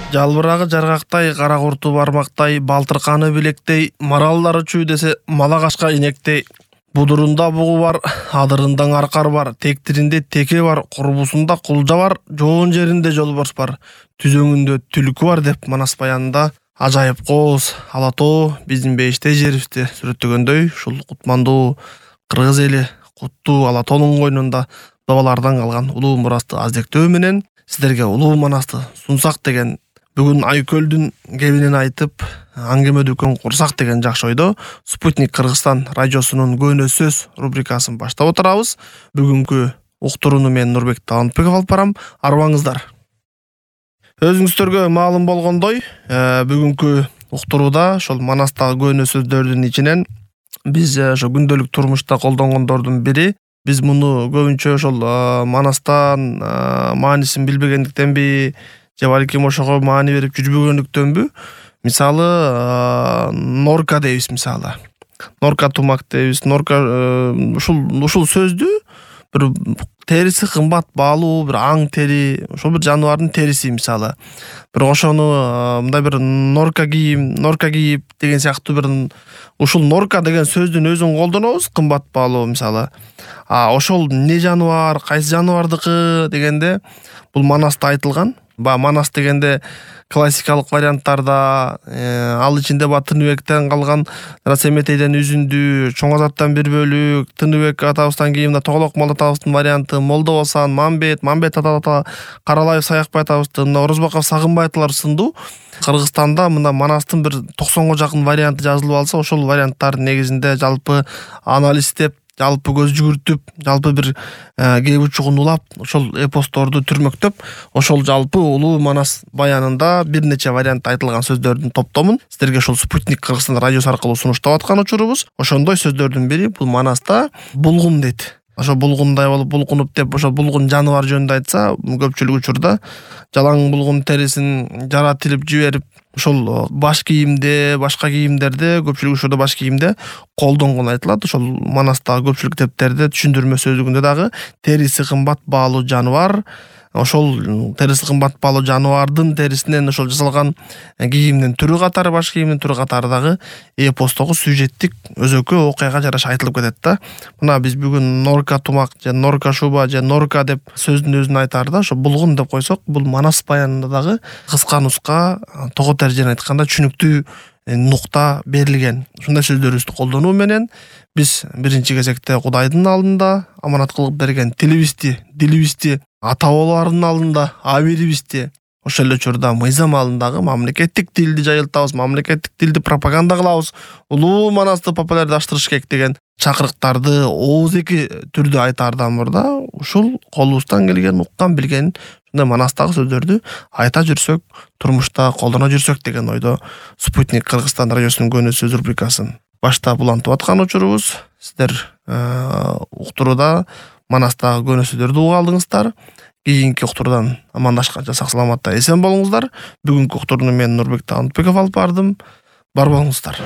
Жалбырагы жаргактай, кара курту бармактай, балтырканы билектей, маралдары чүү десе, малагашка инектей. Будурунда бугу бар, адырында аркар бар, тектиринде теке бар, курбусунда кулжа бар, жоон жеринде жолборс бар, түзөңүндө түлкү бар деп Манас баянында ажайып кооз ала тоо биздин бейиштей жерибизди сүрөттөгөндөй, ушул кутмандуу кыргыз эли куттуу ала тоонун койнунда бабалардан калган улуу мурасты аздектөө менен сиздерге улуу Манасты сунсак деген бүгүн Айкөлдүн кебинин айтып, аңгеме дүкөн курсак деген жакшы ойдо Спутник Кыргызстан радиосунун Көнө сөз рубрикасын баштап отурабыз. Бүгүнкү уктурууну мен Нурбек Талантбеков алып барам. Арбаңыздар. Өзүңүздөргө маалым болгондой, бүгүнкү уктурууда ошол Манастагы көнө сөздөрдүн ичинен биз ошо күндөлүк турмушта колдонгондордун бири. Биз муну көбүнчө ошол Манастан маанисин билбегендиктенби, же балким ошого маани берип жүрбөгөндүктөнбү? Мисалы, норка дейбиз, мисалы. Норка тумак дейбиз. Норка ушул сөздү бир териси кымбат баалуу бир аң тери, ошол бир жаныбардын териси мисалы. Бирок ошону мындай бир норка кийип деген сыяктуу бир ушул норка деген сөздүн өзүн колдонобуз, кымбат баалуу мисалы. Ошол эмне жаныбар, кайсы жаныбардыкы дегенде бул Манаста айтылган. Манас дегенде классикалык варианттарда ал ичинде Тыныбектен калган Расеметейден үзүндү, Чоң Азаттан бир бөлүк, Тыныбек атабыздан кийин мына Тоголок Мал атабыздын варианты, Молдо Басан, Мамбет ата, Каралаев Саякбай атабыздын, Орозбаков Сагынбай аталар сындуу Кыргызстанда мына Манастын бир 90го жакын варианты жазылып алса, ошол варианттардын негизинде жалпы анализдеп, жалпы көз жүгүртүп, жалпы бир кеп учугун улап, ошол эпосторду түрмөктөп, ошол жалпы улуу Манас баянында бир нече вариант айтылган сөздөрдүн топтомун сиздерге ошол Спутник Кыргызстан радиосу аркылуу сунуштап аткан учурубуз. Ошондой сөздөрдүн бири бул Манаста булгун дейт. Ошо булгундай болуп булгунуп деп, ошо булгун жаныбар жөнүндө айтса, көпчүлүк учурда жалаң булгун терисин жаратылып жиберип, ошол баш кийимде, башка кийимдерде, көпчүлүк учурда баш кийимде колдонгон айтылат. Ошол Манастагы көпчүлүк китептерде түшүндүрмө сөздүгүндө дагы териси кымбат баалуу жаныбар, ошол териси кымбат баалуу жаныбардын терисинен ошол жасалган кийимдин түрү катары, баш кийимдин түрү катары дагы эпостогу сюжеттик өзөккө окуяга жараша айтылып кетет да. Мына биз бүгүн норка тумак же норка шуба же норка деп сөздүн өзүн айтаарда ошо булгун деп койсок, бул Манас баянында дагы кыска нуска, того тержене айтканда түшүнүктүү нукта берилген. Ушундай сөздөрүбүздү колдонуу менен биз биринчи кезекте Кудайдын алдында аманат кылып берген дилибизди, ата бабалардын алдында абийирибизди, ошол эле учурда мыйзам алдындагы мамлекеттик тилди жайылтабыз, мамлекеттик тилди пропаганда кылабыз, улуу Манасты популярдаштырыш керек деген чакырыктарды ооздеки түрдө айтаардан мурда ушул колубуздан келген, уккан билген ушундай Манастагы сөздөрдү айта жүрсөк, турмушта колдоно жүрсөк деген ойдо Спутник Кыргызстан радиосунун Көнө сөз рубрикасын баштап улантып аткан учурубуз. Сиздер уктурууда Манастагы көнө сөздөрдү угуп алдыңыздар. Кийинки уктуруудан амандашканча сак саламатта эсен болуңуздар. Бүгүнкү уктурууну мен Нурбек Талантбеков алып бардым. Бар болуңуздар.